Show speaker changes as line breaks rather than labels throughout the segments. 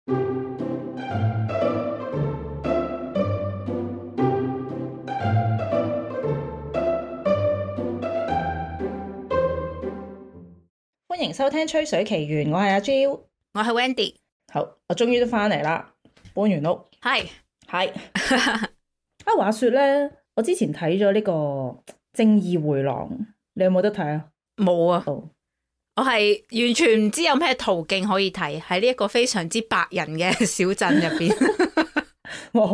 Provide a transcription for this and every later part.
歡迎收聽《吹水奇緣》，我係阿 Jill，
我係 Wendy。
好，我終於都翻嚟啦，搬完屋。係啊，話說咧，我之前睇咗呢個《正義迴廊》，你有冇得睇啊？
冇啊，我係完全唔知有咩途徑可以睇，喺呢一個非常之白人嘅小鎮入邊。
哇，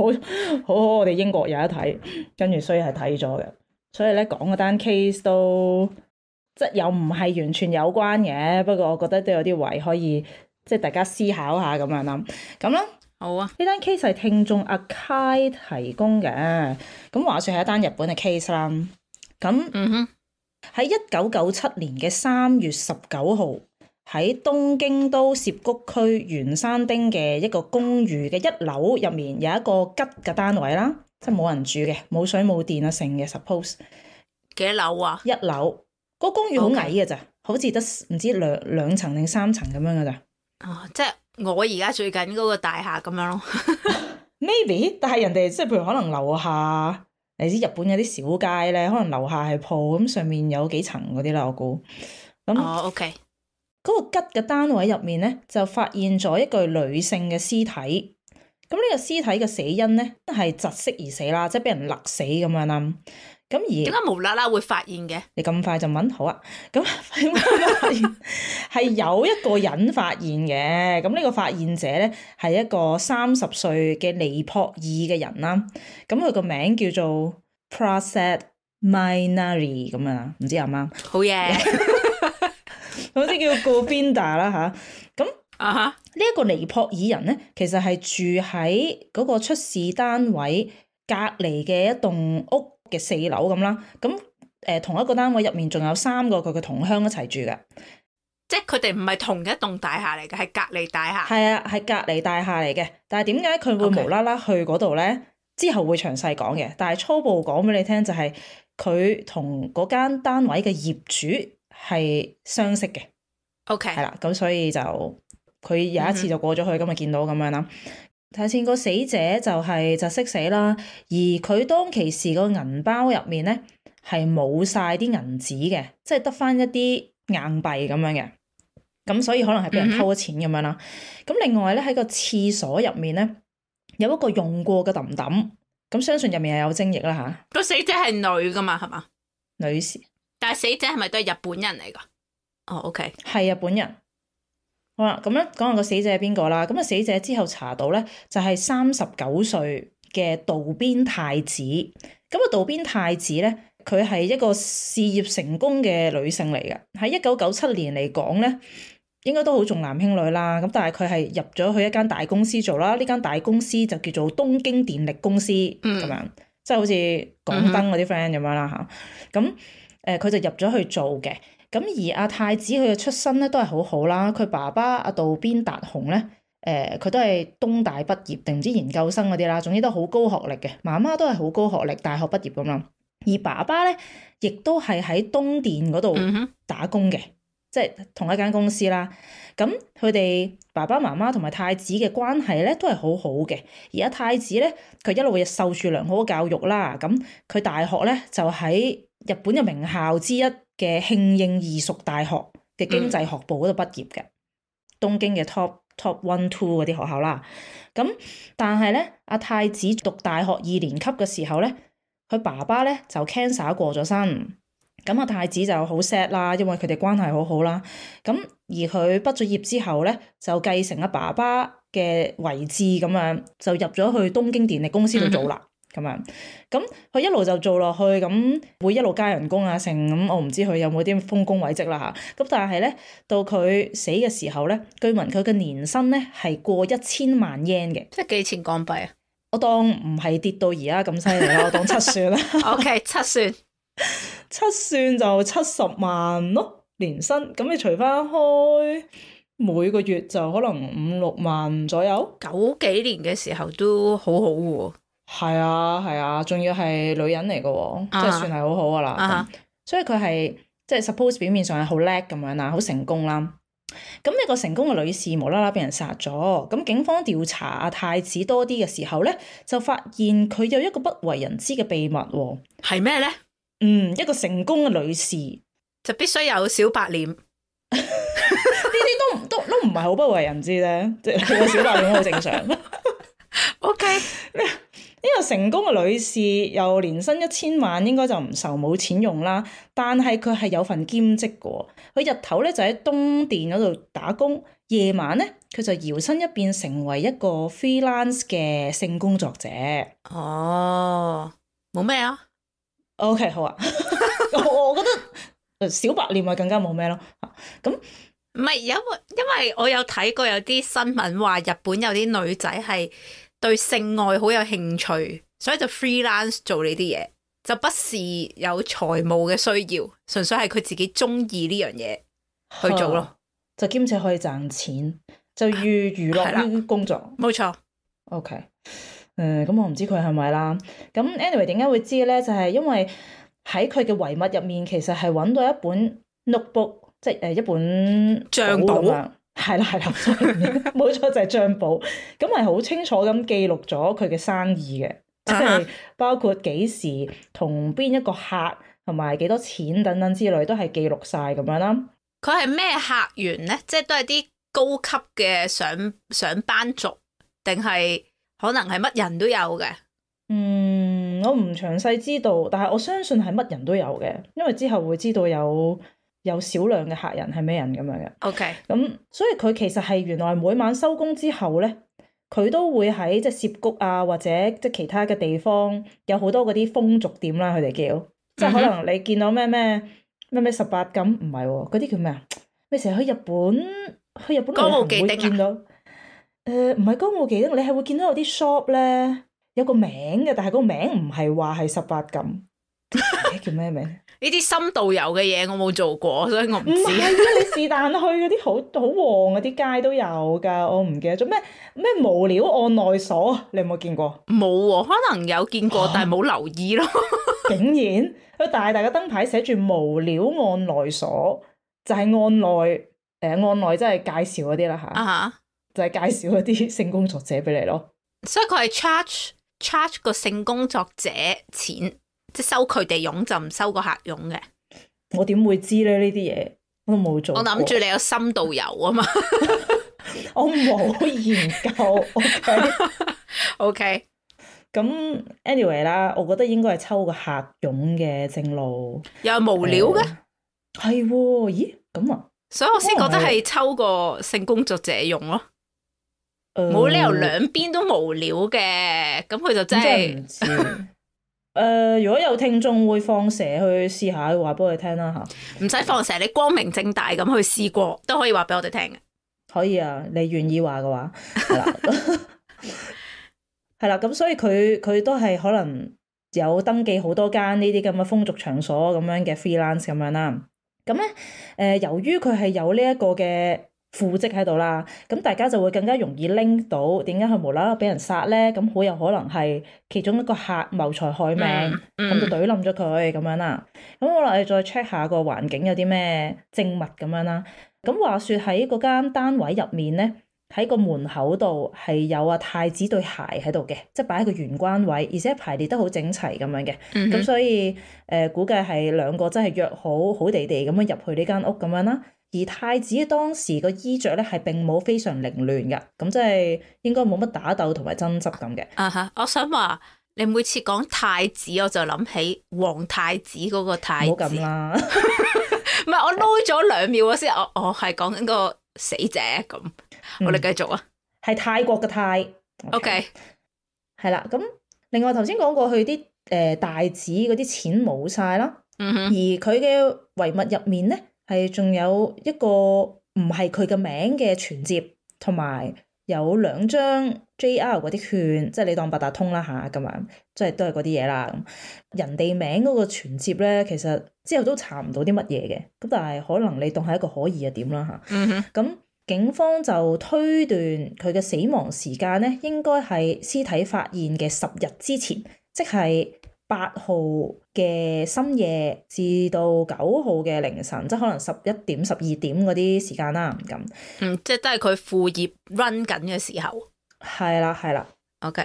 好我哋英國有得睇，跟住所以係睇咗嘅。所以咧講嗰單 case 都即係又唔係完全有關嘅，不過我覺得都有啲位可以即係大家思考下咁樣啦。咁啦，
好啊，
呢單 case 係聽眾阿 Kai 提供嘅。咁話說係一單日本嘅 case 啦。咁喺1997年嘅3月19號，喺東京都涉谷區圓山町嘅一個公寓嘅1樓入面有一個吉嘅單位啦，即係冇人住嘅，冇水冇電啊，成嘅 suppose。
幾多樓啊
？1樓。個公寓好矮嘅咋，好似得唔知兩層定3層咁樣嘅咋。
即係我而家住緊嗰個大廈咁樣咯。
Maybe， 但係人哋即係譬如可能樓下，你知日本有啲小街咧，可能樓下係鋪，咁上面有幾層嗰啲啦，我估。咁
OK。
嗰個吉嘅單位入面咧，就發現咗一具女性嘅屍體。咁呢個屍體嘅死因咧係窒息而死啦，即係俾人勒死咁樣啦。咁而
點解無啦啦會發現嘅？
你咁快就問？好啊，咁係有一個人發現嘅。咁呢個發現者咧係一個30歲嘅尼泊爾嘅人啦。咁佢個名叫做 Prasad Mainari 咁樣啦，唔知啱唔啱？
好嘢，
好似叫 Govinda 啦吓。咁呢一個尼泊爾人咧，其實係住喺嗰個出事單位隔離嘅一棟屋嘅4樓咁啦。咁同一個單位入面仲有3個佢嘅同鄉一齊住嘅，
即係佢哋唔係同一棟大廈嚟嘅，係隔離大廈。
係啊，係隔離大廈嚟嘅。但係點解佢會無啦啦去嗰度咧？之後會詳細講嘅。但係初步講俾你聽就係佢同嗰間單位嘅業主係相識嘅。
OK，
係啦，咁所以就佢有一次就過咗去，咁咪見到咁樣啦。睇下先，個死者就係窒息死啦，而佢當其時個銀包入面咧係冇晒啲銀紙嘅，即係得翻一啲硬幣咁樣嘅，咁所以可能係俾人偷咗錢咁樣啦。咁另外咧喺個廁所入面咧有一個用過嘅揼揼，咁相信入面係有精液啦吓。
個死者係女噶嘛，係嘛？
女士。但
係死者係咪都係日本人嚟噶？哦，OK，係
日本人。好啦，咁咧講下個死者係邊個啦？咁啊，死者之後查到咧就係39歲嘅渡邊太子。咁啊，渡邊太子咧，佢係一個事業成功嘅女性嚟嘅。喺1997年嚟講咧，應該都好重男輕女啦。咁但係佢係入咗去一間大公司做啦。呢間大公司就叫做東京電力公司咁樣，即係好似港燈嗰啲 friend 咁樣啦嚇。咁佢就入咗去做嘅。咁而阿太子佢嘅出身咧都係好好啦，佢爸爸阿渡邊達雄咧，佢都係東大畢業定唔知研究生嗰啲啦，總之都好高學歷嘅。媽媽都係好高學歷，大學畢業咁啦。而爸爸咧，亦都係喺東電嗰度打工嘅，即係同一間公司啦。咁佢哋爸爸媽媽同埋太子嘅關係咧都係好好嘅。而阿太子咧，佢一路亦受住良好嘅教育啦。咁佢大學咧就喺日本嘅名校之一嘅慶應義塾大學嘅經濟學部嗰度畢業嘅，東京嘅 top 1、2嗰啲學校啦。咁但係咧，阿太子讀大學2年級嘅時候咧，佢爸爸咧就 cancer 過咗身。咁阿太子就好 sad 啦，因為佢哋關係好好啦。咁而佢畢咗業之後咧，就繼承阿爸爸嘅遺志咁樣，就入咗去東京電力公司度做啦。咁樣，咁佢一路就做落去，咁會一路加人工啊成，咁我唔知佢有冇啲豐功偉績啦嚇。咁但係咧，到佢死嘅時候咧，據聞佢嘅年薪咧係過1000萬 yen 嘅，
即係幾錢港幣啊？
我當唔係跌到而家咁犀利啦，我當7算啦。
OK， 7算
，7算就70萬咯年薪，咁你除翻開每個月就可能5、6萬左右。
90幾年嘅時候都好好喎。
係啊，仲要係女人嚟嘅喎，即係算係好好噶啦。所以佢係即係 suppose 表面上係好叻咁樣啦，好成功啦。咁呢個成功嘅女士無啦啦俾人殺咗，咁警方調查阿太子多啲嘅時候咧，就發現佢有一個不為人知嘅秘密喎。
係咩咧？
一個成功嘅女士
就必須有小白臉，呢
啲都唔係好不為人知咧，即係個小白臉好正常。
OK，
呢個成功嘅女士又年薪1000萬，應該就唔愁冇錢用啦。但係佢係有份兼職嘅，佢日頭咧就喺東電嗰度打工，夜晚咧佢就搖身一變成為一個 freelance 嘅性工作者。
哦，冇咩啊
OK， 好啊，我覺得小白臉咪更加冇咩咯。咁
唔係因為我有睇過有啲新聞話日本有啲女仔係對性愛好有興趣，所以就 freelance 做呢啲嘢，就不是有財務嘅需要，純粹係佢自己中意呢樣嘢去做咯，
就兼且可以賺錢，就寓娛樂於工作。
冇錯。
OK，咁我唔知佢係咪啦。咁 anyway 點解會知咧？就係因為喺佢嘅遺物入面，其實係揾到一本 notebook， 即係一本
帳簿。
係啦，冇錯就係帳簿。咁係好清楚咁記錄咗佢嘅生意嘅，即係包括幾時同邊一個客同埋幾多錢等等之類，都係記錄晒咁樣啦。
佢係咩客源咧？即係都係啲高級嘅上班族，定係可能係乜人都有嘅？
我唔詳細知道，但係我相信係乜人都有嘅，因為之後會知道有少量嘅客人係咩人咁樣嘅。
OK，
咁所以佢其實係原來每晚收工之後咧，佢都會喺即係涉谷啊，或者即係其他嘅地方有好多嗰啲風俗店啦，佢哋叫，即係可能你見到咩18禁，唔係喎，嗰啲叫咩啊？你成日去日本
歌舞伎町
見到，唔係歌舞伎町，你係會見到有啲 shop 咧有個名嘅，但係個名唔係話係18禁，叫咩名？
呢啲深度遊嘅嘢我冇做過，所以我唔知。
唔係啊，你是但去嗰啲好旺嗰啲街都有㗎，我唔記得咗咩無料按內鎖，你有冇見過？
冇喎，可能有見過，但係冇留意咯。
竟然佢大大嘅燈牌寫住無料按內鎖，就係按內即係介紹嗰啲啦嚇，就係介紹嗰啲性工作者俾你咯。
所以佢係 charge 個性工作者錢。即係收佢哋佣就唔收個客佣嘅，
我點會知咧？呢啲嘢我都冇做過。
我諗住你有深度遊啊嘛，
我冇研究。
OK，
咁 anyway 啦，我覺得應該係抽個客佣嘅正路，
又係無料嘅，
係喎？咦咁啊？
所以我先覺得係抽個性工作者用咯，冇理由兩邊都無料嘅，咁佢就真係
唔知。如果有聽眾會放蛇去試下，話俾我哋聽啦嚇。
唔使放蛇，你光明正大咁去試過都可以話俾我哋聽嘅。
可以啊，你願意話嘅話，係啦，係啦。咁所以佢都係可能有登記好多間呢啲咁嘅風俗場所咁樣嘅 freelance 咁樣啦。咁咧由於佢係有呢一個嘅副職喺度啦，咁大家就會更加容易拎到點解佢無啦啦俾人殺咧？咁好有可能係其中一個客謀財害命，咁就懟冧咗佢咁樣啦。咁我哋再 check 下個環境有啲咩證物咁樣啦。咁話說喺嗰間單位入面咧，喺個門口度係有阿太子對鞋喺度嘅，即係擺喺個玄關位，而且排列得好整齊咁樣嘅。咁所以估計係兩個真係約好地咁樣入去呢間屋咁樣啦。而太子當時個衣着咧係並冇非常凌亂嘅，咁即係應該冇乜打鬥同埋爭執咁嘅。
我想話你每次講太子，我就諗起皇太子嗰個太子。
唔好咁啦，
唔係我撈咗2秒先，我係講緊個死者咁。我哋繼續啊，
係泰國嘅泰。
OK，
係啦。咁另外頭先講過去啲大子嗰啲錢冇晒啦，而佢嘅遺物入面咧，係仲有一個唔係佢嘅名嘅存摺，同埋有2張 JR 嗰啲券，即係你當八達通啦嚇咁樣，即係都係嗰啲嘢啦。人哋名嗰個存摺咧，其實之後都查唔到啲乜嘢嘅，咁但係可能你當係一個可疑嘅點啦嚇。咁警方就推斷佢嘅死亡時間咧，應該係屍體發現嘅10日之前，即係號嘅深夜至到9號嘅凌晨，即係可能11點、12點嗰啲時間啦。咁，
即係都係佢副業 run 緊嘅時候。
係啦。
OK。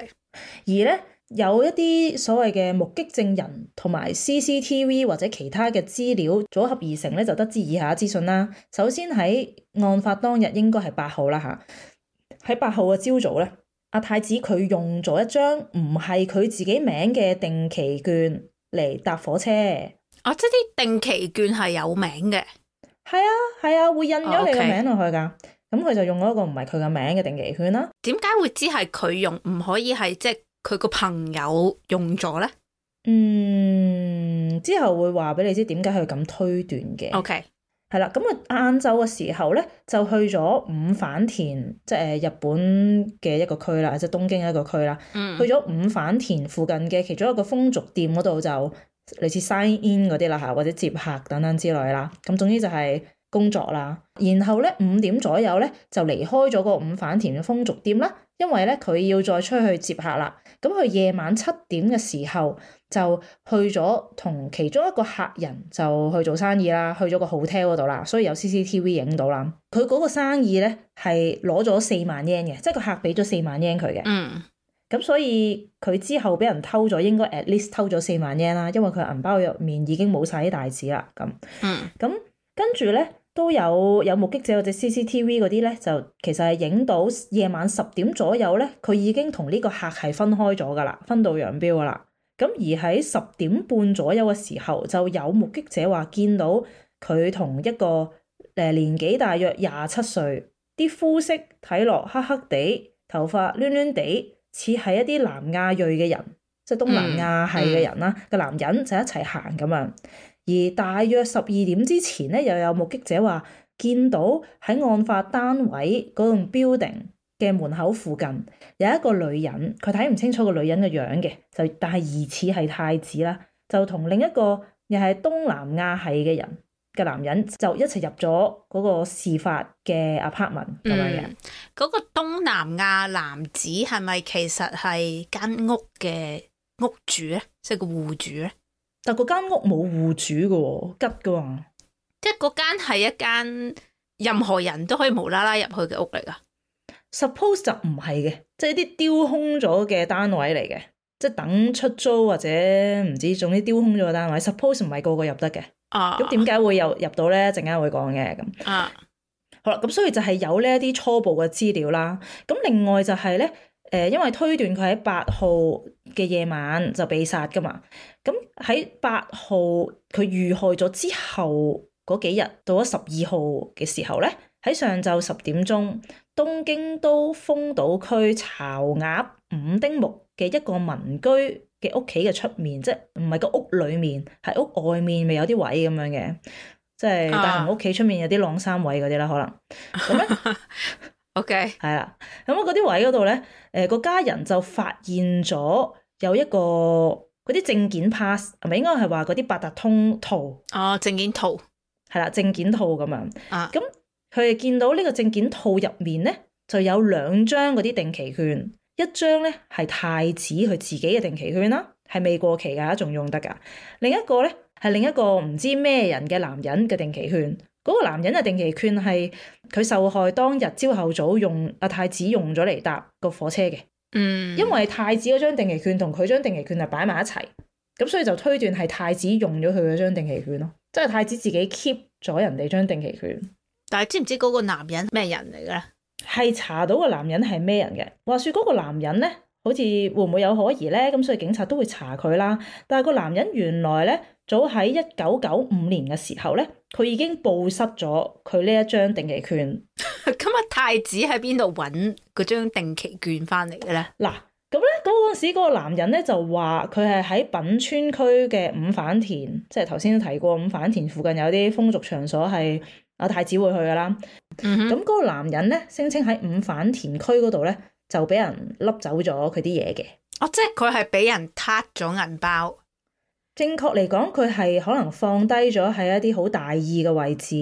而咧有一啲所謂嘅目擊證人同埋 CCTV 或者其他嘅資料組合而成咧，就得知以下資訊啦。首先喺案發當日應該係8號啦嚇，喺8號嘅朝早咧，阿太子佢用咗一張唔係佢自己名嘅定期券嚟搭火車。
即係啲定期券係有名嘅。
係啊，會印咗你個名落去㗎。咁佢就用咗一個唔係佢嘅名嘅定期券啦。
點解會知係佢用，唔可以係即係佢個朋友用咗咧？
之後會話俾你知點解佢咁推斷嘅。
OK。
係啦，咁啊晏晝嘅時候咧，就去咗五反田，即係日本嘅一個區啦，即係東京一個區啦。去咗五反田附近嘅其中一個風俗店嗰度，就類似 sign in 嗰啲啦嚇，或者接客等等之類啦。咁總之就係工作啦。然後咧5點左右咧就離開咗個五反田嘅風俗店啦，因為咧佢要再出去接客啦。咁佢夜晚7點嘅時候就去咗同其中一個客人就去做生意啦，去咗個 hotel 嗰度啦，所以有 CCTV 影到啦。佢嗰個生意咧係攞咗4萬 yen 嘅，即係個客俾咗4萬 yen 佢嘅。咁所以佢之後俾人偷咗，應該 at least 偷咗4萬 yen 啦，因為佢銀包入面已經冇晒啲大紙啦。咁跟住咧都有目擊者或者 CCTV 嗰啲咧，就其實係影到夜晚10點左右咧，佢已經同呢個客係分開咗噶啦，分道揚鑣噶啦。咁而喺10點半左右嘅時候，就有目擊者話見到佢同一個年紀大約27歲，啲膚色睇落黑黑地，頭髮攣攣地，似係一啲南亞裔嘅人，即係東南亞系嘅人啦。個男人就一齊行咁樣。而大約12點之前咧，又有目擊者話見到喺案發單位嗰棟 building 嘅門口附近有一個女人，佢睇唔清楚個女人嘅樣嘅，但係疑似係太子啦，就同另一個又係東南亞系嘅人嘅男人就一齊入咗嗰個事發嘅 apartment 咁樣嘅。
嗰個東南亞男子係咪其實係間屋嘅屋主咧，即係個戶主咧？
但嗰間屋冇戶主嘅喎，吉嘅喎。
即係嗰間係一間任何人都可以無啦啦入去嘅屋嚟噶。
Suppose 就唔係嘅，即係啲丟空咗嘅單位嚟嘅，即係等出租或者唔知，總之丟空咗嘅單位。Suppose 唔係個個入得嘅。咁點解會入到咧？陣間會講嘅咁。好啦，咁所以就係有呢一啲初步嘅資料啦。咁另外就係咧，因為推斷佢喺8號嘅夜晚就被殺噶嘛。咁喺8號佢遇害咗之後嗰幾日，到咗12號嘅時候咧，喺上晝10點鐘，東京都豐島區巢鴨五丁目嘅一個民居嘅屋企嘅出面，即係唔係個屋裡面，係屋外面咪有啲位咁樣嘅，即係大雄屋企出面有啲晾衫位嗰啲啦，可能咁咧。
OK，
係啦，咁嗰啲位嗰度咧，個家人就發現咗有一個嗰啲證件 pass， 係咪應該係話嗰啲八達通套？
證件套
係啦，證件套咁樣。咁佢哋見到呢個證件套入面咧，就有2張嗰啲定期券，一張咧係太子佢自己嘅定期券啦，係未過期㗎，仲用得㗎。另一個咧係另一個唔知咩人嘅男人嘅定期券。嗰個男人嘅定期券係佢受害當日朝後早用阿太子用咗嚟搭個火車嘅。因為太子嗰張定期券同佢張定期券係擺埋一齊，咁所以就推斷係太子用咗佢嗰張定期券咯，即係太子自己 keep 咗人哋張定期券。
但係知唔知嗰個男人咩人嚟嘅咧？
係查到個男人係咩人嘅。話說嗰個男人咧，好似會唔會有可疑咧？咁所以警察都會查佢啦。但係個男人原來咧，早喺1995年嘅時候咧，佢已經報失咗佢呢一張定期券。
咁啊，太子喺邊度揾嗰張定期券翻嚟嘅咧？
嗱，咁咧嗰陣時嗰個男人咧就話佢係喺品川區嘅五反田，即係頭先都提過五反田附近有啲風俗場所係阿太子會去噶啦。咁嗰個男人咧聲稱喺五反田區嗰度咧就俾人笠走咗佢啲嘢嘅。
即係佢係俾人撻咗銀包。
正確嚟講，佢係可能放低咗喺一啲好大意嘅位置，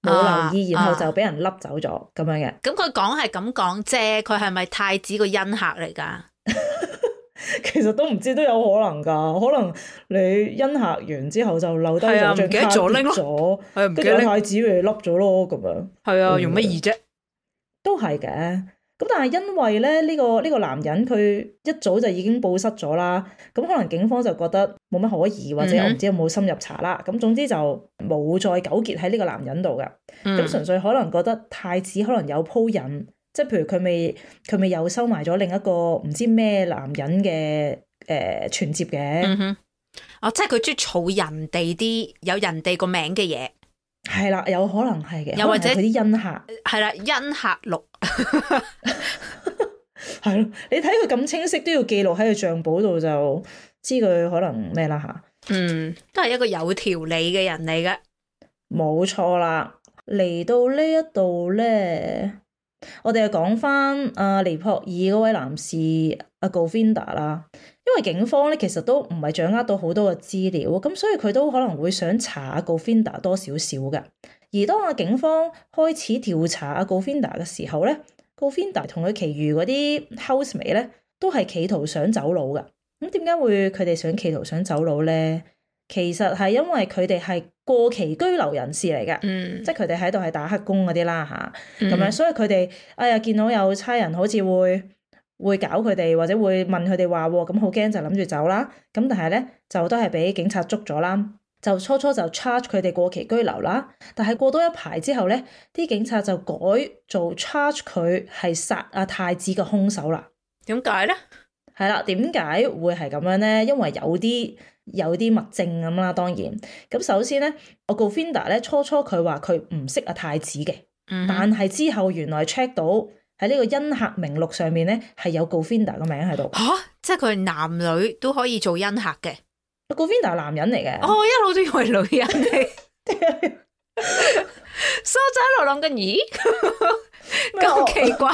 冇留意，然後就俾人笠走咗咁樣嘅。
咁佢講係咁講啫，佢係咪太子個恩客嚟㗎？
其實都唔知都有可能㗎，可能你恩客完之後就漏低咗張
係啊唔記得
卡
咗拎咯
跌咗，
係唔記
跟住
得拎
太子咪笠咗咯咁樣。
係啊，用乜易啫？
都係嘅，咁但係因為咧呢個男人佢一早就已經報失咗啦，咁可能警方就覺得冇乜可疑，或者我唔知有冇深入查啦，咁總之就冇再糾結喺呢個男人度㗎，咁純粹可能覺得太子可能有鋪引，即係譬如佢未有收埋咗另一個唔知咩男人嘅存摺嘅，
哦，即係佢中意儲人哋啲有人哋個名嘅嘢。
係啦，有可能係嘅，
又或者
佢啲恩客
係啦，恩客錄
係咯，你睇佢咁清晰都要記錄喺佢帳簿度，就知佢可能咩啦吓。
都係一個有條理嘅人嚟嘅。冇
錯啦，嚟到呢一度咧，我哋就講翻阿尼泊爾嗰位男士阿 Govinda 啦。因為警方咧其實都唔係掌握到好多嘅資料，咁所以佢都可能會想查阿 Govinda 多少少嘅。而當阿警方開始調查阿 Govinda 嘅時候咧，Govinda 同佢其餘嗰啲 housemate 咧都係企圖想走佬嘅。咁點解會佢哋想企圖想走佬咧？其實係因為佢哋係過期居留人士嚟嘅，即係佢哋喺度係打黑工嗰啲啦嚇，咁樣，所以佢哋見到有差人好似會搞佢哋，或者會問佢哋話喎，咁好驚就諗住走啦。咁但係咧就都係俾警察捉咗啦。就初就 charge 佢哋過期居留啦，但係過多一排之後咧，啲警察就改做 charge 佢係殺阿太子嘅兇手啦。
點解咧？
係啦，點解會係咁樣咧？因為有啲物證咁啦，當然。咁首先咧，我 Govinda 咧初佢話佢唔識阿太子嘅，但係之後原來 check 到喺呢個恩客名錄上面咧係有 Govinda 個名喺度。
嚇！即係佢男女都可以做恩客嘅。
Govinda 係男人嚟嘅。
我一路都以為女人嚟。所以我就喺度諗緊，咦？咁奇怪。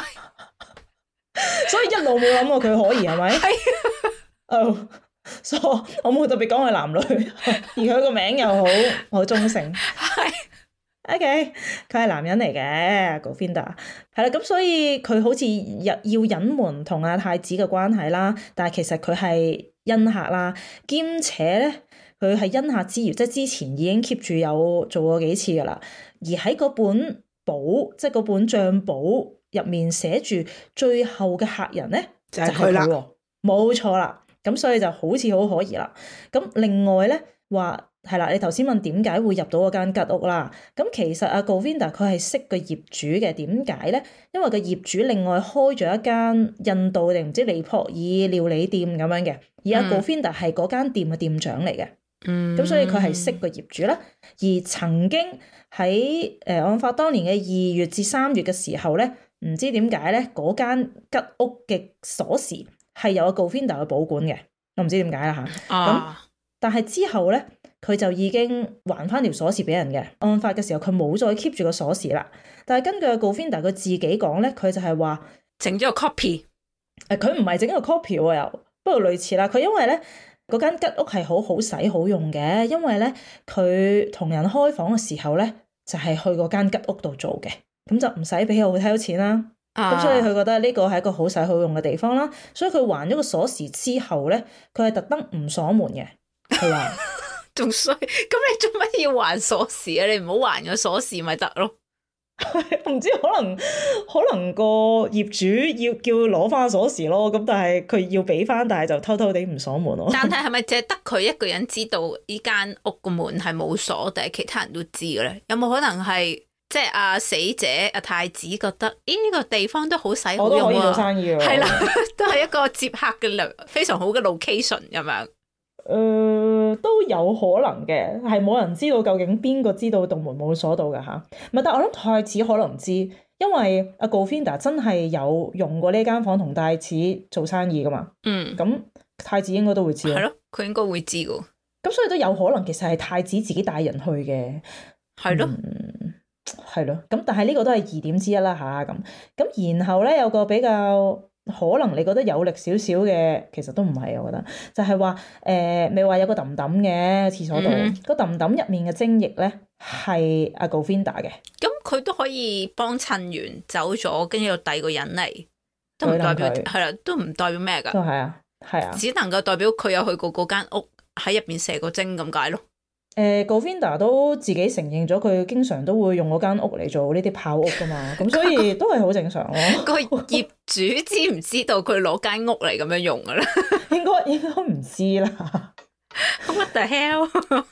所以一路冇諗過佢可疑係咪？係。所以我冇特別講佢男女，而佢個名又好中性。係。OK， 佢係男人嚟嘅 Govinda， 係啦，咁所以佢好似要隱瞞同阿太子嘅關係啦，但係其實佢係恩客啦，兼且咧佢係恩客之餘，即係之前已經 keep 住有做過幾次噶啦，而喺嗰本簿，即係嗰本帳簿入面寫住最後嘅客人咧就係佢啦，冇錯啦，咁所以就好似好可疑啦。咁另外咧話。係啦，你頭先問點解會入到嗰間吉屋啦？咁其實阿 Govinda 佢係識個業主嘅，點解咧？因為個業主另外開咗一間印度定唔知尼泊爾料理店咁樣嘅，而阿 Govinda 係嗰間店嘅店長嚟嘅。咁所以佢係識個業主啦。而曾經喺案發當年嘅2月至3月嘅時候咧，唔知點解咧嗰間吉屋嘅鎖匙係有阿 Govinda 嘅保管嘅，我唔知點解啦嚇。咁但係之後咧。佢就已經還翻條鎖匙俾人嘅。案發嘅時候，佢冇再 keep 住個鎖匙啦。但係根據 Govinda 佢自己講咧，佢就係話
整咗個 copy。
佢唔係整個 copy 喎，又不過類似啦。佢因為咧嗰間吉屋係好使好用嘅，因為咧佢同人開房嘅時候咧就係去嗰間吉屋度做嘅，咁就唔使俾好睇錢啦。咁所以佢覺得呢個係一個好使好用嘅地方啦。所以佢還咗個鎖匙之後咧，佢係特登唔鎖門嘅。佢話。
仲衰，咁你做乜要還鎖匙啊？你唔好還咗鎖匙咪得咯。
唔知可能個業主要叫攞翻鎖匙咯，咁但係佢要俾翻，但係就偷偷地唔鎖門咯。
但係係咪淨係得佢一個人知道呢間屋個門係冇鎖，定係其他人都知嘅咧？有冇可能係即係阿死者阿太子覺得呢個地方都好使好用啊？我都可以做生意喎。係啦，都係一個接客嘅非常好嘅 location 咁樣。
都有可能嘅，係冇人知道究竟邊個知道道門冇鎖到㗎吓。唔係，但係我諗太子可能知，因為阿 Govinda 真係有用過呢間房同太子做生意㗎嘛。咁太子應該都會知。係咯，佢應該會知㗎。咁所以都有可能其實係太子自己帶人去嘅。係咯。係咯。咁但係呢個都係疑點之一啦吓。咁然後咧有個比較。可能你覺得有力少少嘅，其實都唔係，我覺得就係話未話有個揼揼嘅廁所度，個揼揼入面嘅精液咧係阿 Govinda 嘅。咁佢都可以幫襯完走咗，跟住有第二個人嚟，都唔代表係啦，都唔代表咩㗎。都係啊，係啊，
只能夠代表佢有去過嗰間屋喺入邊射過精咁解咯。
Govinda 都自己承認咗，佢經常都會用嗰間屋嚟做呢啲炮屋噶嘛，咁所以都係好正常咯。
個業主知唔知道佢攞間屋嚟咁樣用噶咧？
應該唔知啦。
What the hell？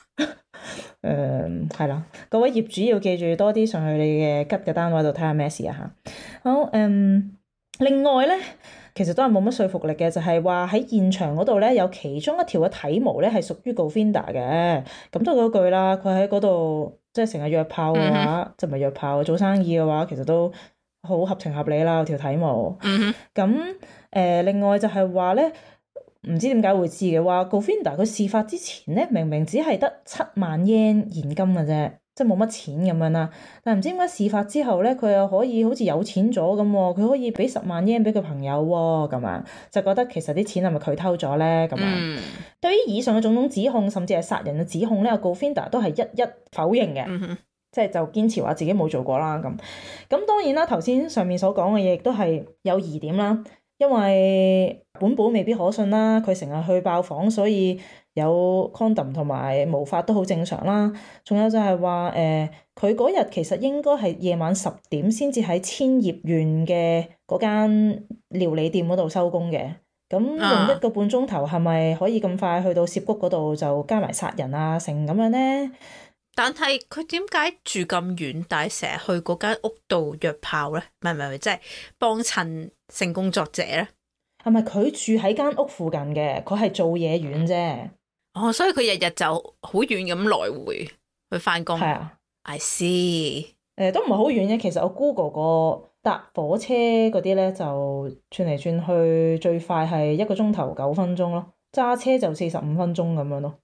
係啦，各位業主要記住多啲上去你嘅吉嘅單位度睇下咩事啊嚇。好，另外咧，其實都係冇乜說服力嘅，就係話喺現場嗰度咧，有其中一條嘅體毛咧係屬於 Govinda 嘅。咁都係嗰句啦，佢喺嗰度即係成日約炮嘅話，即係唔係約炮做生意嘅話，其實都好合情合理啦，條體毛。咁另外就係話咧，唔知點解會知嘅話，Govinda 佢事發之前咧，明明只係得7萬 yen 現金嘅啫，即係冇乜錢咁樣啦。但係唔知點解事發之後咧，佢又可以好似有錢咗咁喎，佢可以俾10萬 yen 俾佢朋友喎，咁樣就覺得其實啲錢係咪佢偷咗咧？咁樣對於以上嘅種種指控，甚至係殺人嘅指控咧，Govinda 都係一一否認嘅，即係就堅持話自己冇做過啦。咁當然啦，頭先上面所講嘅嘢亦都係有疑點啦。因為本保未必可信啦，佢成日去爆房，所以有 condom 同埋毛髮都好正常啦。仲有就係話佢嗰日其實應該係夜晚10點先至喺千葉縣嘅嗰間料理店嗰度收工嘅。咁用1個半鐘頭係咪可以咁快去到涉谷嗰度就加埋殺人啊成咁樣咧？
但係佢點解住咁遠，但係成日去嗰間屋度約炮咧？唔係，即係幫襯性工作者咧？
係咪佢住喺間屋附近嘅？佢係做嘢遠啫。
哦，所以佢日日就好遠咁來回去翻工。係
啊
I see。
都唔係好遠嘅。其實我 Google 過搭火車嗰啲咧，就轉嚟轉去最快係1個鐘頭9分鐘咯，揸車就45分鐘咁樣咯。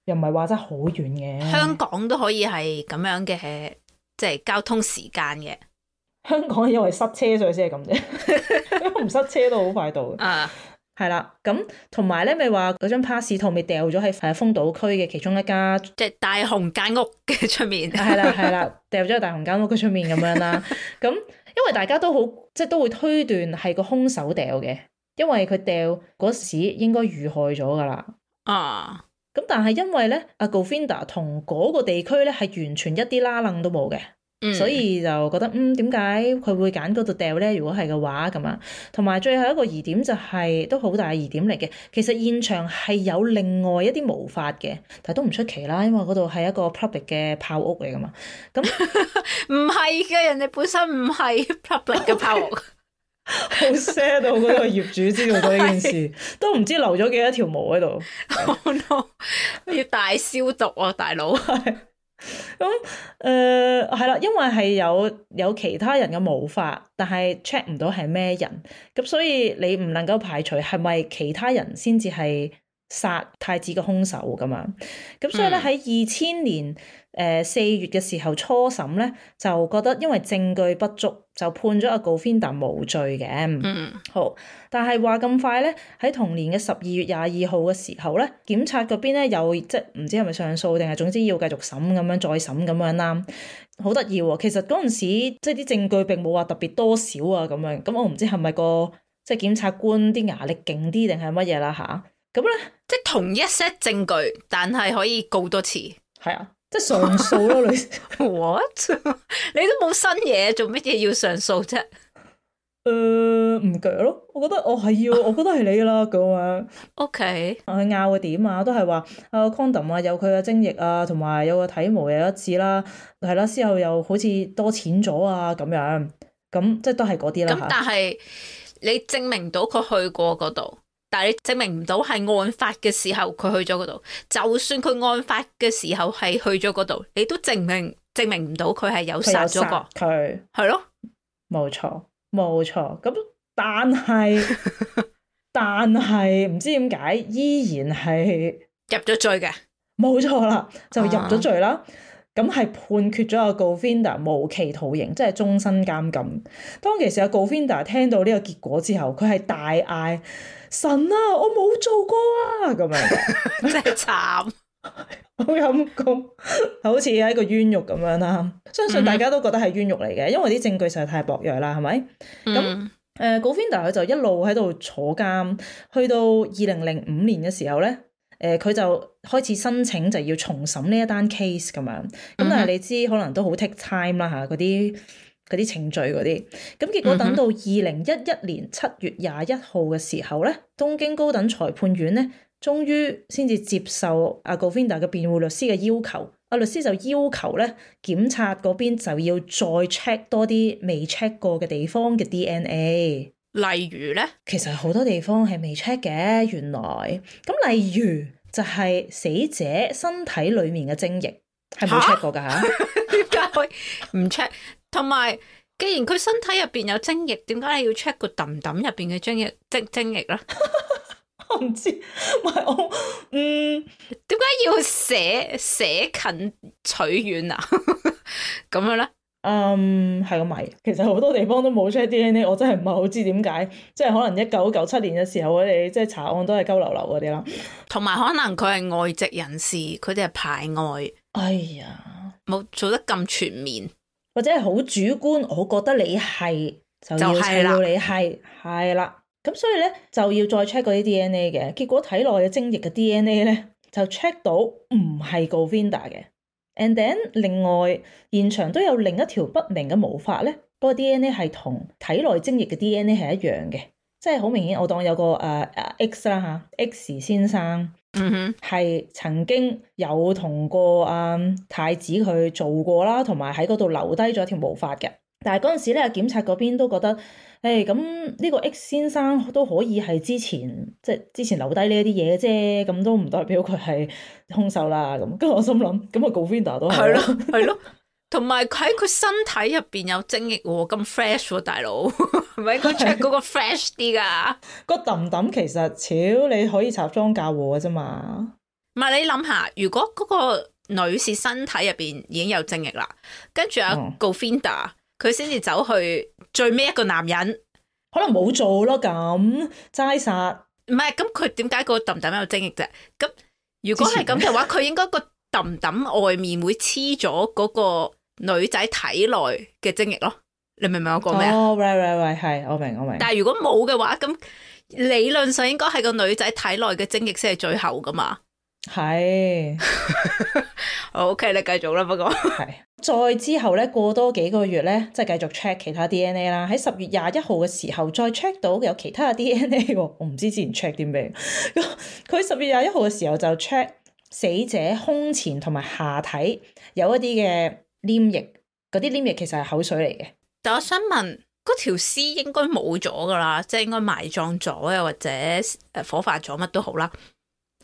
又唔係話真係好遠嘅。
香港都可以係咁樣嘅，即係交通時間嘅。
香港因為塞車所以先係咁啫，因為唔塞車都好快到。係啦，咁同埋咧，咪話嗰張 pass 套咪掉咗喺豐島區嘅其中一家，
即係大雄間屋嘅出面。
係啦，掉咗喺大雄間屋嘅出面咁樣啦。咁因為大家都好，即係都會推斷係個兇手掉嘅，因為佢掉嗰時應該遇害咗噶啦。咁但係因為咧，阿 Govinda 同嗰個地區咧係完全一啲拉楞都冇嘅。所以就覺得點解佢會揀嗰度掉咧？如果係嘅話咁啊，同埋最後一個疑點就係都好大疑點嚟嘅。其實現場係有另外一啲毛髮嘅，但係都唔出奇啦，因為嗰度係一個 public 嘅炮屋嚟噶嘛。咁
唔係嘅，人哋本身唔係 public 嘅炮屋。
好 sad 到嗰個業主知道咗呢件事，都唔知留咗幾多條毛喺度。
Oh no！要大消毒啊，大佬。
咁係啦，因為係有其他人嘅毛髮，但係 check 唔到係咩人，咁所以你唔能夠排除係咪其他人先至係殺太子嘅兇手咁樣。咁所以咧喺2000年4月嘅時候初審咧，就覺得因為證據不足，就判咗阿 Govinda 無罪嘅。好，但係話咁快咧，喺同年嘅12月22號嘅時候咧，檢察嗰邊咧又即係唔知係咪上訴定係總之要繼續審咁樣再審咁樣啦。好得意喎，其實嗰陣時即係啲證據並冇話特別多少啊咁樣。咁我唔知係咪個即係檢察官啲牙力勁啲定係乜嘢啦吓。咁咧
即係同一 set 證據，但係可以告多次。
係啊。即係上訴咯，你
what？ 你都冇新嘢，做乜嘢要上訴啫？
唔鋸咯，我覺得我覺得係你啦咁樣。
OK，
佢拗嘅點啊，都係話condom 啊，有佢嘅精液啊，同埋有個體毛又一致啦，係啦，之後又好似多錢咗啊咁樣，咁即係都係嗰啲啦。
咁但係你證明到佢去過嗰度。但係你證明唔到係案發嘅時候佢去咗嗰度，就算佢案發嘅時候係去咗嗰度，你都證明唔到佢係有殺咗個
佢，
係咯，
冇錯。咁但係唔知點解依然係
入咗罪嘅，
冇錯啦，就入咗罪啦。咁係判決咗阿 Govinda 無期徒刑，即係終身監禁。當其時阿 Govinda 聽到呢個結果之後，佢係大嗌：神啊，我冇做過啊！咁樣
真係慘，
好陰功，好似係一個冤獄咁樣啦。相信大家都覺得係冤獄嚟嘅，因為啲證據實在太薄弱啦，係咪？咁 Govinda 佢就一路喺度坐監，去到2005年嘅時候咧，佢就開始申請就要重審呢一單 case 咁樣。咁但係你知可能都好 take time 啦嚇，嗰啲程序嗰啲。咁結果等到2011年7月21號嘅時候咧，東京高等裁判院咧，終於先至接受阿 Govinda 嘅辯護律師嘅要求。阿律師就要求咧，檢察嗰邊就要再 check 多啲未 check 過嘅地方嘅 DNA。
例如咧，
其實好多地方係未 check 嘅，原來。咁例如就係死者身體裡面嘅精液係冇 check 過㗎嚇。
點解可以唔 check？ 同埋，既然佢身體入邊有精液，點解你要 check 個揼揼入邊嘅精液咧？
我唔知，唔係我，
點解要捨近取遠啊？咁樣咧？
係個謎。其實好多地方都冇 check DNA，我真係唔係好知點解。即係可能1997年嘅時候，我哋即係查案都係鳩流流嗰啲啦。同
埋可能佢係外籍人士，佢哋係排外。
哎呀，
冇做得咁全面，
或者係好主觀。我覺得你係就要砌到你係啦。咁所以咧就要再 check 嗰啲 DNA 嘅，結果體內嘅精液嘅 DNA 咧就 check 到唔係 Govinda 嘅。And then 另外現場都有另一條不明嘅毛髮咧，嗰個 DNA 係同體內精液嘅 DNA 係一樣嘅，即係好明顯。我當有個X 啦嚇 ，X 先生係曾經有同個太子佢做過啦，同埋喺嗰度留低咗一條毛髮嘅。但係嗰陣時咧，檢察嗰邊都覺得，咁呢個 X 先生都可以係之前留低呢一啲嘢嘅啫，咁都唔代表佢係兇手啦。咁跟住我心諗，咁啊 Govinda 都係咯，
係咯，同埋喺佢身體入邊有精液喎，咁 fresh 喎，大佬係咪應該 check 嗰個 fresh 啲㗎？
個揼揼其實超你可以插贓嫁禍嘅啫嘛。
唔係，你諗下，如果嗰個女士身體入邊已經有精液啦，跟住阿 Govinda佢先至走去最尾一個男人，
可能冇做咯，咁齋殺。
唔係，咁佢點解個揼揼有精液啫？咁如果係咁嘅話，佢應該個揼揼外面會黐咗嗰個女仔體內嘅精液咯。你明唔明我講咩啊？
哦，right，係，我明。
但係如果冇嘅話，咁理論上應該係個女仔體內嘅精液先係最後噶嘛。
係。
OK，你繼續啦。不過
係。再之後咧，過多幾個月咧，即係繼續 check 其他 DNA 啦。喺10月21號嘅時候，再 check 到有其他嘅 DNA 喎。我唔知之前 check 啲咩。佢10月21號嘅時候就 check 死者胸前同埋下體有一啲嘅黏液，嗰啲黏液其實係口水嚟嘅。
但我想問，嗰條屍應該冇咗噶啦，即係應該埋葬咗，又或者火化咗，乜都好啦。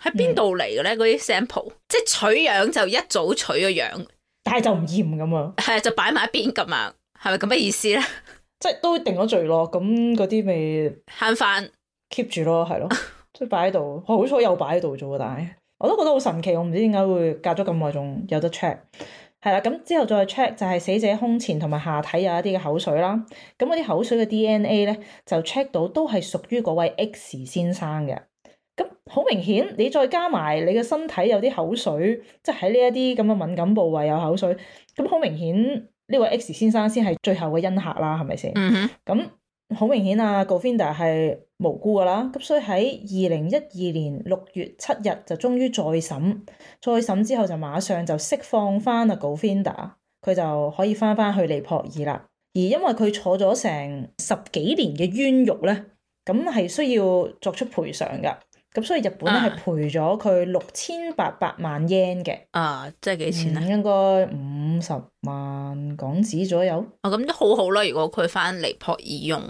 喺邊度嚟嘅咧？嗰啲 sample 即係取樣就一早取咗樣。但係就唔驗咁啊，係就擺埋一邊咁啊，係咪咁嘅意思咧？即係都定咗罪咯，咁嗰啲咪慳翻 keep 住咯，係咯，即係擺喺度。好彩有擺喺度啫喎，但係我都覺得好神奇，我唔知點解會隔咗咁耐仲有得 check。係啦，咁之後再 check 就係死者胸前同埋下體有一啲嘅口水啦。咁嗰啲口水嘅 DNA 咧就 check 到都係屬於嗰位 X 先生嘅。咁好明顯，你再加埋你嘅身體有啲口水，即係喺呢一啲咁嘅敏感部位有口水，咁好明顯呢位 X 先生先係最後嘅恩客啦，係咪先？咁好明顯啊 Govinda 係無辜噶啦，咁所以喺2012年6月7日就終於再審之後就馬上就釋放翻啊 Govinda，佢就可以翻去尼泊爾啦。而因為佢坐咗成10幾年嘅冤獄咧，咁係需要作出賠償噶。咁所以日本咧係賠咗佢6800萬 yen 嘅，即係幾錢咧？應該50萬港紙左右。咁都好好啦，如果佢翻尼泊爾用。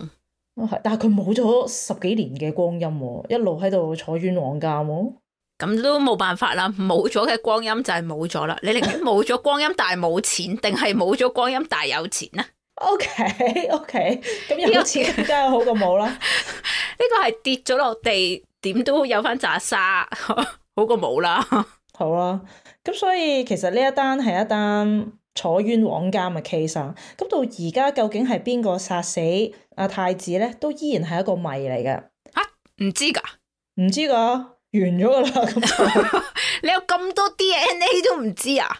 但係佢冇咗10幾年嘅光陰喎，一路喺度坐冤枉監喎。咁都冇辦法啦，冇咗嘅光陰就係冇咗啦。你寧願冇咗光陰但係冇錢，定係冇咗光陰但係有錢啊？OK，咁有錢梗係好過冇啦。呢個係跌咗落地。點都有翻紮沙，好過冇啦。好啦，咁所以其實呢一單係一單坐冤枉監嘅 case 啊。咁到而家究竟係邊個殺死阿太子咧，都依然係一個謎嚟嘅。唔知㗎，唔知㗎，完咗㗎啦。咁你有咁多 DNA 都唔知啊？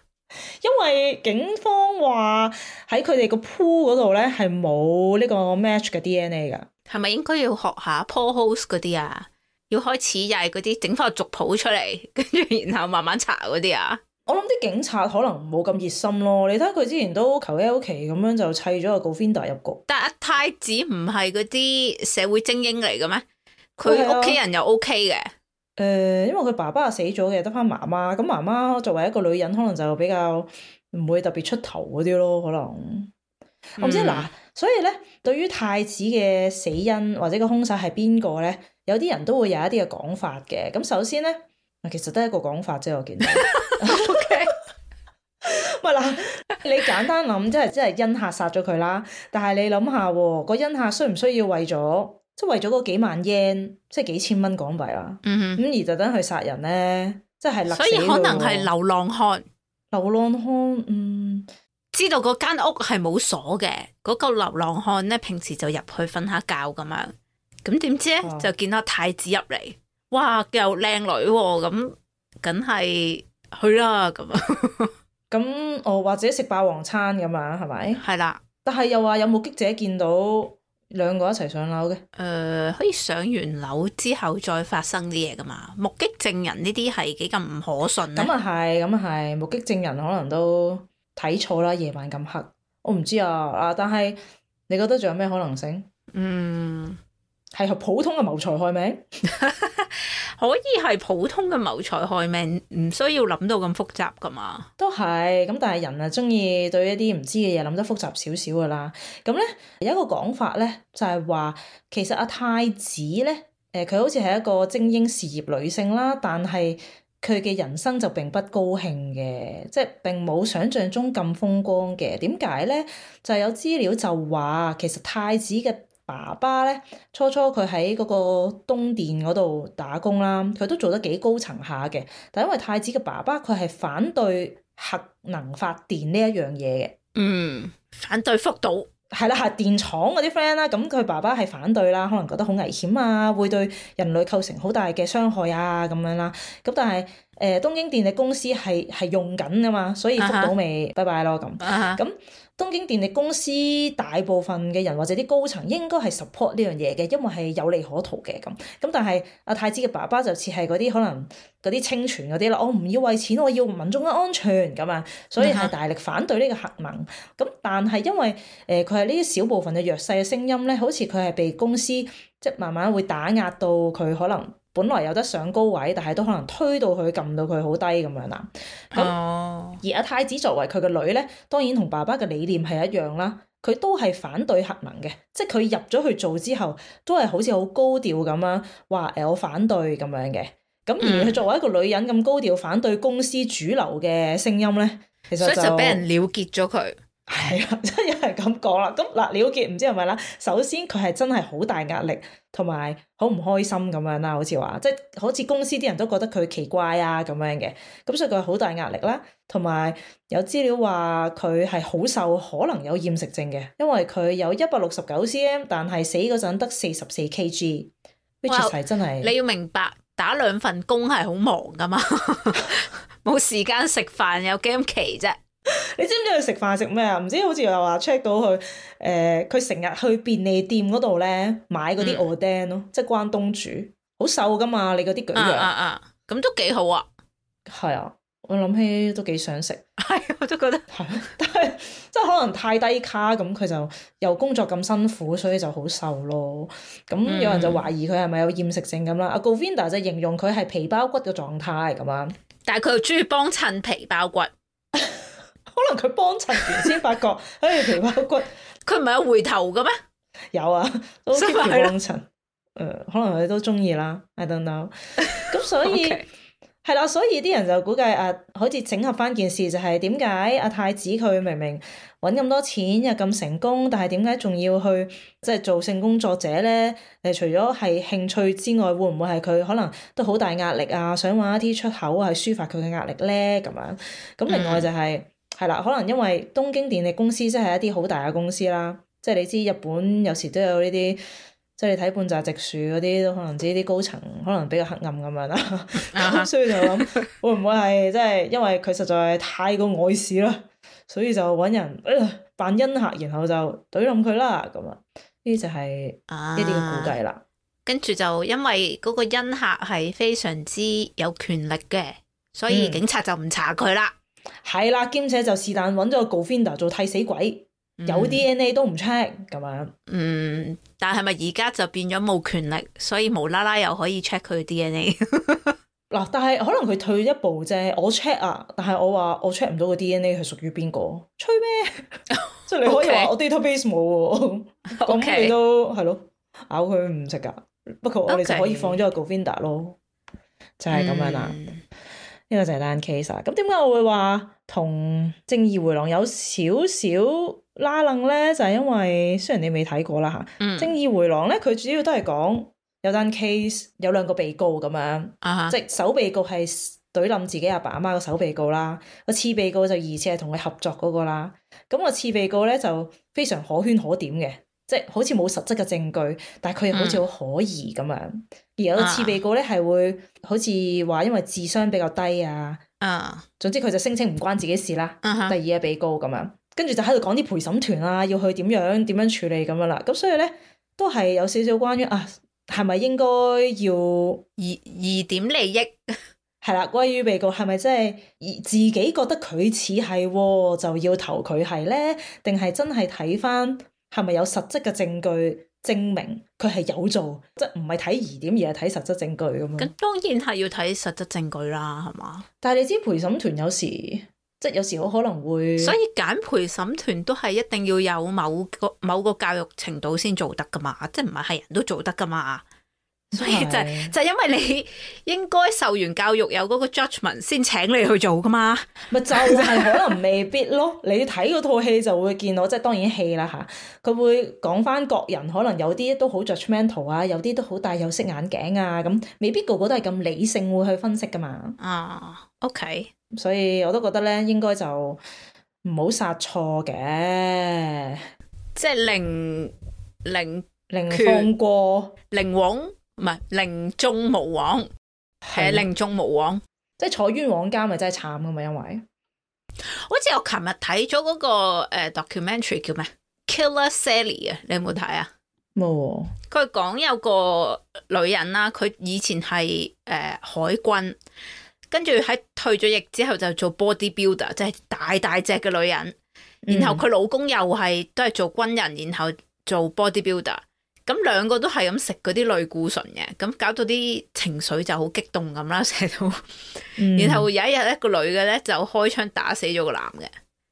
因為警方話喺佢哋個 pool 嗰度咧係冇呢個 match 嘅 DNA 㗎。係咪應該要學下 Paul Holes 嗰啲啊？要開始又係嗰啲整翻個族譜出嚟，跟住然後慢慢查嗰啲啊？
我諗啲警察可能冇咁熱心咯。你睇佢之前都求其咁樣就砌咗個 Govinda 入局。
但阿太子唔係嗰啲社會精英嚟嘅咩？佢屋企人又 OK 嘅。
因為佢爸爸死咗嘅，得翻媽媽。咁媽媽作為一個女人，可能就比較唔會特別出頭嗰啲咯。可能我唔知嗱，所以咧，對於太子嘅死因或者個兇手係邊個咧，有啲人都會有一啲嘅講法嘅。咁首先咧，其實得一個講法啫，我見到。
OK，
唔係嗱，你簡單諗，即係恩客殺咗佢啦。但係你諗下喎，個恩客需唔需要為咗嗰幾萬 yen， 即係幾千蚊港幣啦？咁而特登去殺人咧，即係勒死佢喎。所以
可能係流浪漢。
流浪漢，
知道嗰間屋係冇鎖嘅，嗰個流浪漢咧平時就入去瞓下覺咁樣。咁點知咧就見到太子入嚟，哇又靚女喎，咁梗係去啦咁啊！
咁或者食霸王餐咁樣係咪？
係啦。
但係又話有目擊者見到兩個一齊上樓嘅。
可以上完樓之後再發生啲嘢噶嘛？目擊證人呢啲係幾咁唔可信咧？
咁啊係，目擊證人可能都睇錯啦。夜晚咁黑，我唔知啊。但係你覺得仲有咩可能性？係普通嘅謀財害命，
可以係普通嘅謀財害命，唔需要諗到咁複雜噶嘛？
都係咁，但係人啊中意對一啲唔知嘅嘢諗得複雜少少噶啦。咁咧有一個講法咧，就係話其實阿太子咧，佢好似係一個精英事業女性啦，但係佢嘅人生就並不高興嘅，即係並冇想象中咁風光嘅。點解咧？就係有資料就話其實太子嘅爸爸咧，初佢喺嗰個東電嗰度打工啦，佢都做得幾高層下嘅。但因為太子嘅爸爸佢係反對核能發電呢一樣嘢嘅，
反對福島
係啦，核電廠嗰啲 friend 啦，咁佢爸爸係反對啦，可能覺得好危險啊，會對人類構成好大嘅傷害啊咁樣啦。咁但係東京電力公司係用緊噶嘛，所以福島咪拜拜咯咁。咁東京電力公司大部分嘅人或者啲高層應該係 support 呢樣嘢嘅，因為係有利可圖嘅咁。咁但係阿太子嘅爸爸就似係嗰啲可能嗰啲清泉嗰啲啦，我唔要為錢，我要民眾嘅安全咁啊，所以係大力反對呢個核能。咁但係因為佢係呢啲小部分嘅弱勢嘅聲音咧，好似佢係被公司即係慢慢會打壓到佢可能本來有得上高位，但係都可能推到佢撳到佢好低咁樣啦。咁而阿太子作為佢個女咧，當然同爸爸嘅理念係一樣啦。佢都係反對核能嘅，即係佢入咗去做之後，都係好似好高調咁樣話我反對咁樣嘅。咁而佢作為一個女人咁高調反對公司主流嘅聲音咧，其實
所以就俾人了結咗佢。
係啊，真係咁講啦。咁嗱，了結唔知係咪啦？首先佢係真係好大壓力，同埋好唔開心咁樣啦，好似話即係好似公司啲人都覺得佢奇怪啊咁樣嘅。咁所以佢係好大壓力啦，同埋有資料話佢係好瘦，可能有厭食症嘅，因為佢有169cm，但係死嗰陣得44kg，which 係真係。
你要明白打兩份工係好忙噶嘛，冇時間食飯有幾咁奇啫。
你知唔知佢食飯食咩啊？唔知好似又話 check 到佢佢成日去便利店嗰度咧買嗰啲 oden 咯，即係關東煮，好瘦噶嘛，你嗰啲舉樣。
咁都幾好啊。
係啊，我諗起都幾想食。
係，我都覺得
係，但係即係可能太低卡，咁佢就又工作咁辛苦，所以就好瘦咯。咁有人就懷疑佢係咪有厭食症咁啦。阿 Govinda 就形容佢係皮包骨嘅狀態咁樣。
但係佢又中意幫襯皮包骨。
可能佢幫襯完先發覺，皮包骨，
佢唔係有回頭嘅咩？
有啊，都 keep 住幫襯。可能佢都中意啦 ，I don't know。咁所以係啦，所以啲人就估計好似整合翻件事，就係點解阿太子佢明明揾咁多錢又咁成功，但係點解仲要去即係做性工作者咧？除咗係興趣之外，會唔會係佢可能都好大壓力啊？想揾一啲出口係抒發佢嘅壓力咧？咁樣咁另外就係。係啦，可能因為東京電力公司即係一啲好大嘅公司啦，即係你知日本有時都有呢啲，即係你睇半澤直樹嗰啲都可能知啲高層可能比較黑暗咁樣啦，咁所以就諗會唔會係即係因為佢實在太過礙事啦，所以就揾人扮恩客，然後就懟冧佢啦咁啊。呢就係一啲嘅估計啦。
跟住就因為嗰個恩客係非常之有權力嘅，所以警察就唔查佢啦。
係啦，兼且就是但揾咗個 Govinda 做替死鬼，有 DNA 都唔 check 咁樣。
但係咪而家就變咗冇權力，所以無啦啦又可以 check 佢 DNA？
嗱，但係可能佢退一步啫。我 check 啊，但係我話我 check 唔到個 DNA 係屬於邊個？吹咩？即係你可以話我 database 冇喎，咁你都係咯，咬佢唔食㗎。不過我哋就可以放咗個 Govinda 咯，就係咁樣啦。呢個就係單 case 啊。咁點解我會話同正義迴廊有少少拉楞咧？就係因為雖然你未睇過啦嚇，正義迴廊咧佢主要都係講有單 case 有兩個被告咁樣，即係首被告係懟冧自己阿爸阿媽個首被告啦，個次被告就疑似係同佢合作嗰個啦。咁個次被告咧就非常可圈可點嘅。即係好似冇實質嘅證據，但係佢又好似好可疑咁樣。而有個次被告咧係會好似話因為智商比較低啊，總之佢就聲稱唔關自己事啦。第二個被告咁樣，跟住就喺度講啲陪審團啊，要去點樣處理咁樣啦。咁所以咧都係有少少關於係咪應該要
疑點利益
係啦，關於被告係咪真係自己覺得佢似係就要投佢係咧，定係真係睇翻？係咪有實質嘅證據證明佢係有做，即係唔係睇疑點而係睇實質證據咁樣？
咁當然係要睇實質證據啦，係嘛？
但係你知陪審團有時即係有時好可能會，所
以揀陪審團都係一定要有某個教育程度先做得噶嘛，即係唔係人都做得噶嘛。所以就因為你應該受完教育有嗰個 judgment 先請你去做噶嘛，
咪就係可能未必咯。你睇嗰套戲就會見到，即係當然戲啦嚇，佢會講翻各人可能有啲都好 judgmental 啊，有啲都好戴有色眼鏡啊，咁未必個個都係咁理性會去分析噶嘛。
OK，
所以我都覺得咧應該就唔好殺錯嘅，
即係零
放過
零枉。唔係寧縱無枉，係寧縱無枉，
即係坐冤枉監咪真係慘噶嘛？因為
好似我琴日睇咗嗰個documentary 叫咩 Killer Sally 啊，你有冇睇啊？
冇。
佢講有個女人啦，佢以前係海軍，跟住喺退咗役之後就做 bodybuilder，即係大隻嘅女人。然後佢老公又係都係做軍人，然後做 bodybuilder。咁兩個都係咁食嗰啲類固醇嘅，咁搞到啲情緒就好激動咁啦，成日都。然後有一日一個女嘅咧就開槍打死咗個男嘅，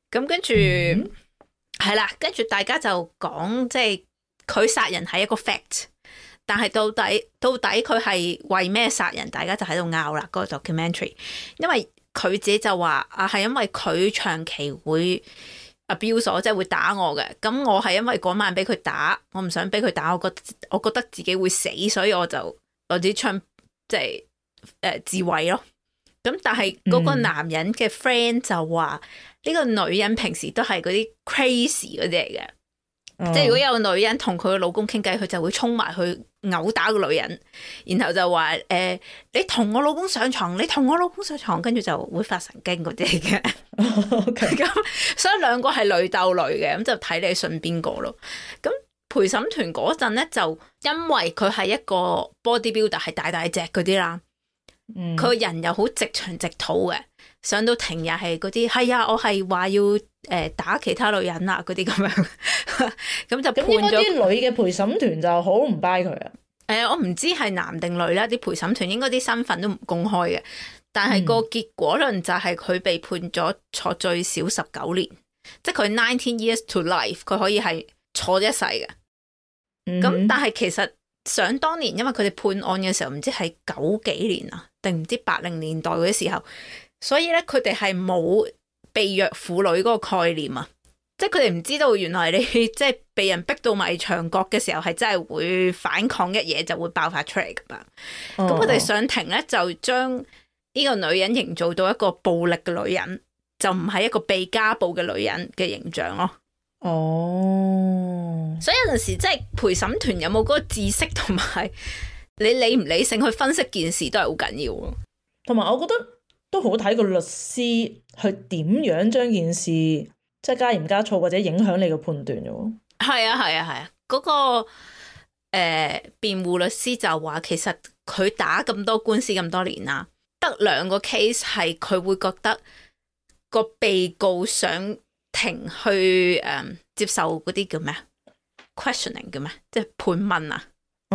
咁跟住係啦，跟住大家就講即係佢殺人係一個 fact， 但係到底佢係為咩殺人，大家就喺度拗啦。嗰個 documentary， 因為佢自己就話係因為佢長期會abuse我，即係會打我嘅，咁我係因為嗰晚俾佢打，我唔想俾佢打，我覺得自己會死，所以我就攞支槍即係自衛咯。咁但係嗰個男人嘅 friend 就話呢個女人平時都係嗰啲 crazy 嗰啲嚟嘅。即係如果有個女人同佢嘅老公傾偈，佢就會衝埋去毆打個女人，然後就話你同我老公上床，你同我老公上床，跟住就會發神經嗰啲嘅。咁所以兩個係女鬥女嘅，咁就睇你信邊個咯。咁陪審團嗰陣咧，就因為佢係一個 bodybuilder，係大隻嗰啲啦，佢個人又好直腸直肚嘅，上到庭又係嗰啲係啊，我係話要打其他女人啊嗰啲咁樣，咁就判咗
啲女嘅陪審團就好唔 buy 佢啊。
我唔知係男定女啦，啲陪審團應該啲身份都唔公開嘅，但係個結果論就係佢被判咗坐最少19年，即係佢19 years to life， 佢可以係坐一世嘅。咁但係其實想當年，因為佢哋判案嘅時候唔知係90幾年啊，定唔知80年代嗰啲時候，所以咧佢哋係冇被虐婦女嗰個概念啊，即係佢哋唔知道原來你即係被人逼到迷牆角嘅時候係真係會反抗一嘢就會爆發出嚟噶嘛。咁佢哋上庭咧就將呢個女人營造到一個暴力嘅女人，就唔係一個被家暴嘅女人嘅形象咯。所以有陣時即係陪審團有冇嗰個知識同埋你理唔理性去分析件事都係好緊要咯。
同埋我覺得都好睇個律師去點樣將件事即係加鹽加醋或者影響你嘅判斷嘅喎。
係啊，嗰個辯護律師就話，其實佢打咁多官司咁多年啦，得2個 case 係佢會覺得個被告想庭去接受嗰啲叫咩啊 questioning 叫咩，即係盤問啊，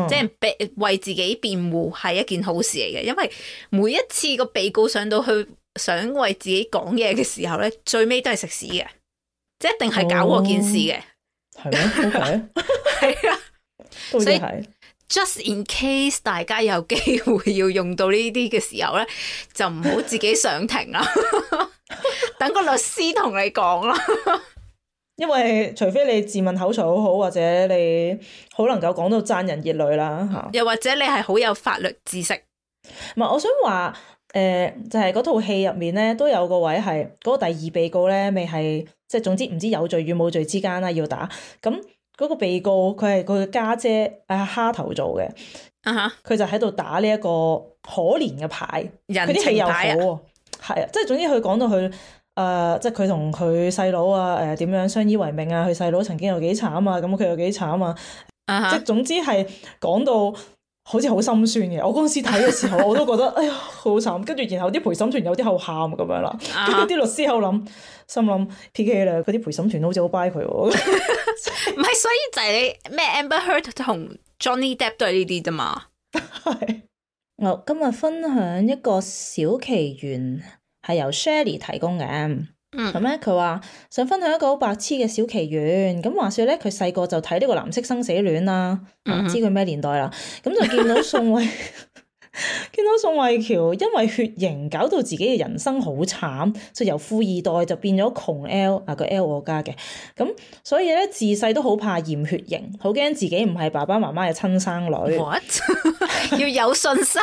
即係為自己辯護係一件好事嚟嘅，因為每一次個被告上到去想為自己講嘢嘅時候咧，最尾都係食屎嘅，即係一定係搞過件事嘅。
係咩？OK，
係啊，
所以
係 just in case 大家有機會要用到呢啲嘅時候咧，就唔好自己上庭啦，等個律師同你講啦。
因為除非你自問口才好好，或者你好能夠講到讚人熱淚啦嚇，
又或者你係好有法律知識。
唔係，我想話就係嗰套戲入面咧，都有個位係嗰個第2被告咧，未係即係總之唔知有罪與冇罪之間啦，要打咁嗰個被告，佢係佢嘅家姐蝦頭做嘅，佢就喺度打呢一個可憐嘅牌，佢啲戲又好喎，係啊，即係總之佢講到佢。即係佢同佢細佬啊，點樣相依為命啊？佢細佬曾經有幾慘啊，咁佢有幾慘啊即係總之係講到好似好心酸嘅。我嗰陣時睇嘅時候，我都覺得哎呀好慘。跟住然後啲陪審團有啲後喊咁樣啦，跟住啲律師喺度心諗 PK 啦，嗰啲陪審團好似好 buy 佢喎。唔
係，所以就係你咩 Amber Heard 同 Johnny Depp 都係呢啲啫嘛。
係。我今日分享一個小奇緣。係由 Shelly 提供嘅，咁咧佢話想分享一個好白痴嘅小奇緣。咁話說咧，佢細個就睇呢個藍色生死戀啦，知佢咩年代啦。咁就見到宋慧喬因為血型搞到自己嘅人生好慘，就由富二代就變咗窮 L 個 L 我家嘅。咁所以咧自細都好怕驗血型，好驚自己唔係爸爸媽媽嘅親生女。
What？ 要有信心。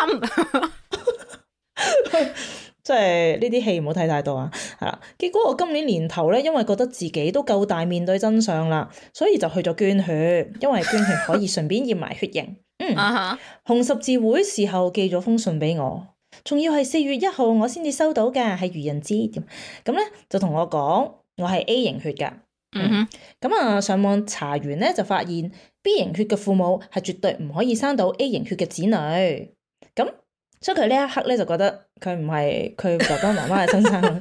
即係呢啲戲唔好睇太多啊，係啦。結果我今年年頭咧，因為覺得自己都夠大面對真相啦，所以就去咗捐血，因為捐血可以順便驗埋血型。紅十字會時候寄咗封信俾我，仲要係4月1號我先至收到㗎，係愚人節。咁咧就同我講我係 A 型血㗎。咁上網查完咧就發現 B 型血嘅父母係絕對唔可以生到 A 型血嘅子女。咁所以佢呢一刻咧就覺得佢唔係佢爸爸媽媽嘅親生女，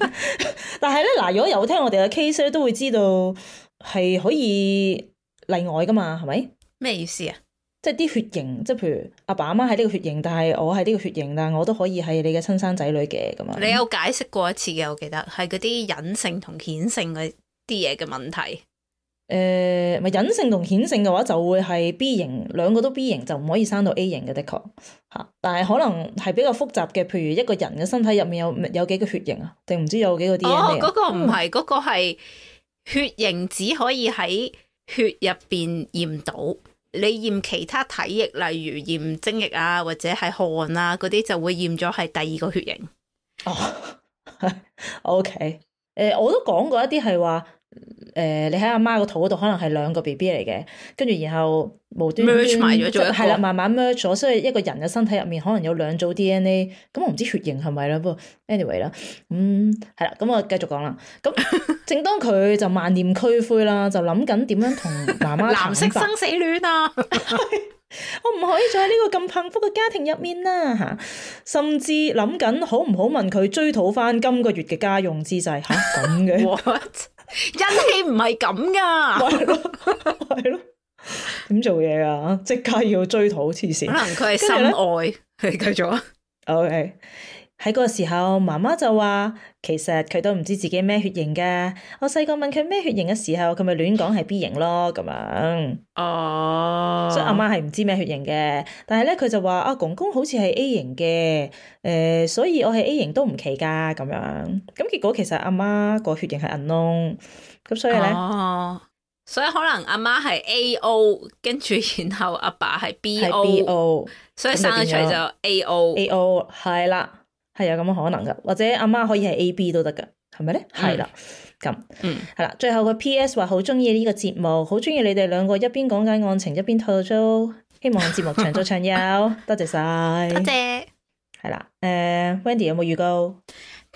但係咧嗱，如果有聽我哋嘅 case 咧，都會知道係可以例外噶嘛，係咪？
咩意思啊？
即係啲血型，即係譬如阿爸阿媽係呢個血型，但係我係呢個血型，但係我都可以係你嘅親生仔女嘅咁樣。
你有解釋過一次嘅，我記得係嗰啲隱性同顯性嗰啲嘢嘅問題。
咪隱性同顯性嘅話就會係 B 型，兩個都 B 型就唔可以生到 A 型嘅，的確嚇。但係可能係比較複雜嘅，譬如一個人嘅身體入面有幾個血型啊？定唔知有幾個 DNA 啊？
嗰個唔係，嗰個係血型只可以喺血入邊驗到。你驗其他體液，例如驗精液啊，或者係汗啊嗰啲，就會驗咗係第2個血型。
OK，我都講過一啲係話。你喺阿媽個肚嗰度可能係2個 BB 嚟嘅，跟住然後無端端
merge 埋咗做一個，
係啦，慢慢 merge 咗，所以一個人嘅身體入面可能有2組 DNA，咁我唔知血型係咪啦，不過 anyway 啦，係啦，咁我繼續講啦。咁正當佢就萬念俱灰啦，就諗緊點樣同媽媽
藍色生死戀啊！
我唔可以再喺呢個咁幸福嘅家庭入面啦嚇，甚至諗緊好唔好問佢追討翻今個月嘅家用之際嚇咁嘅。
What？ 人氣唔係咁噶，
係咯，點做嘢啊？即刻要追討黐線，
可能佢係心愛。你繼續啊。
OK，喺嗰個時候，媽媽就話其實佢都唔知自己咩血型噶。我細個問佢咩血型嘅時候，佢咪亂講係 B 型咯咁樣。所以阿媽係唔知咩血型嘅。但係咧，佢就話阿公公好似係 A 型嘅，所以我係 A 型都唔奇噶咁樣。咁結果其實阿媽個血型係 unknown，咁所以咧，
所以可能阿媽係 AO， 跟住然後阿爸係 BO， 所以生咗出嚟就 AO
係啦，係有咁嘅可能噶，或者阿媽可以係 AB 都得噶，係咪咧？係啦，咁係啦。最後個 PS 話好中意呢個節目，好中意你哋2個一邊講解案情一邊吐槽，希望節目長做長有，多謝晒，
多謝。
係啦，Wendy 有冇預告？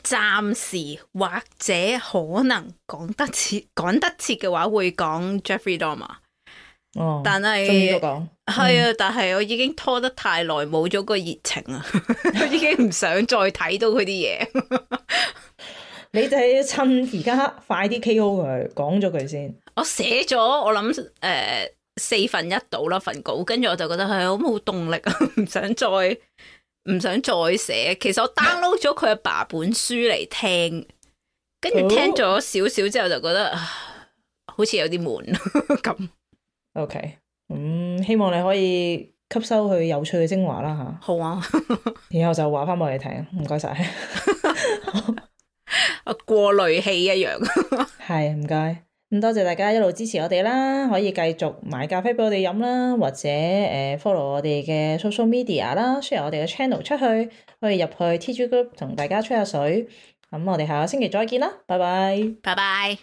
暫時或者可能趕得切嘅話會講 Jeffrey Dahmer，
哦，
但係
終於都講
係啊，但係我已經拖得太耐，冇咗個熱情啊，我已經唔想再睇到佢啲嘢。
你就係要趁而家快啲 KO 佢，講咗佢先。
我寫咗我諗1/4到啦份稿，跟住我就覺得係好冇動力啊，唔想再寫。其實我 download 咗佢阿爸本書嚟聽，跟住聽咗少少之後就覺得好似有啲悶咁。
OK，希望你可以吸收佢有趣嘅精華啦吓。
好啊，
然後就話翻俾我哋聽，唔該晒。
過濾器一樣。
係，唔該。咁多謝大家一路支持我哋啦，可以繼續買咖啡俾我哋飲啦，或者follow 我哋嘅 social media 啦，share 我哋嘅 channel 出去，可以入去 TG Group 同大家吹下水。咁我哋下個星期再見啦，拜拜。
拜拜。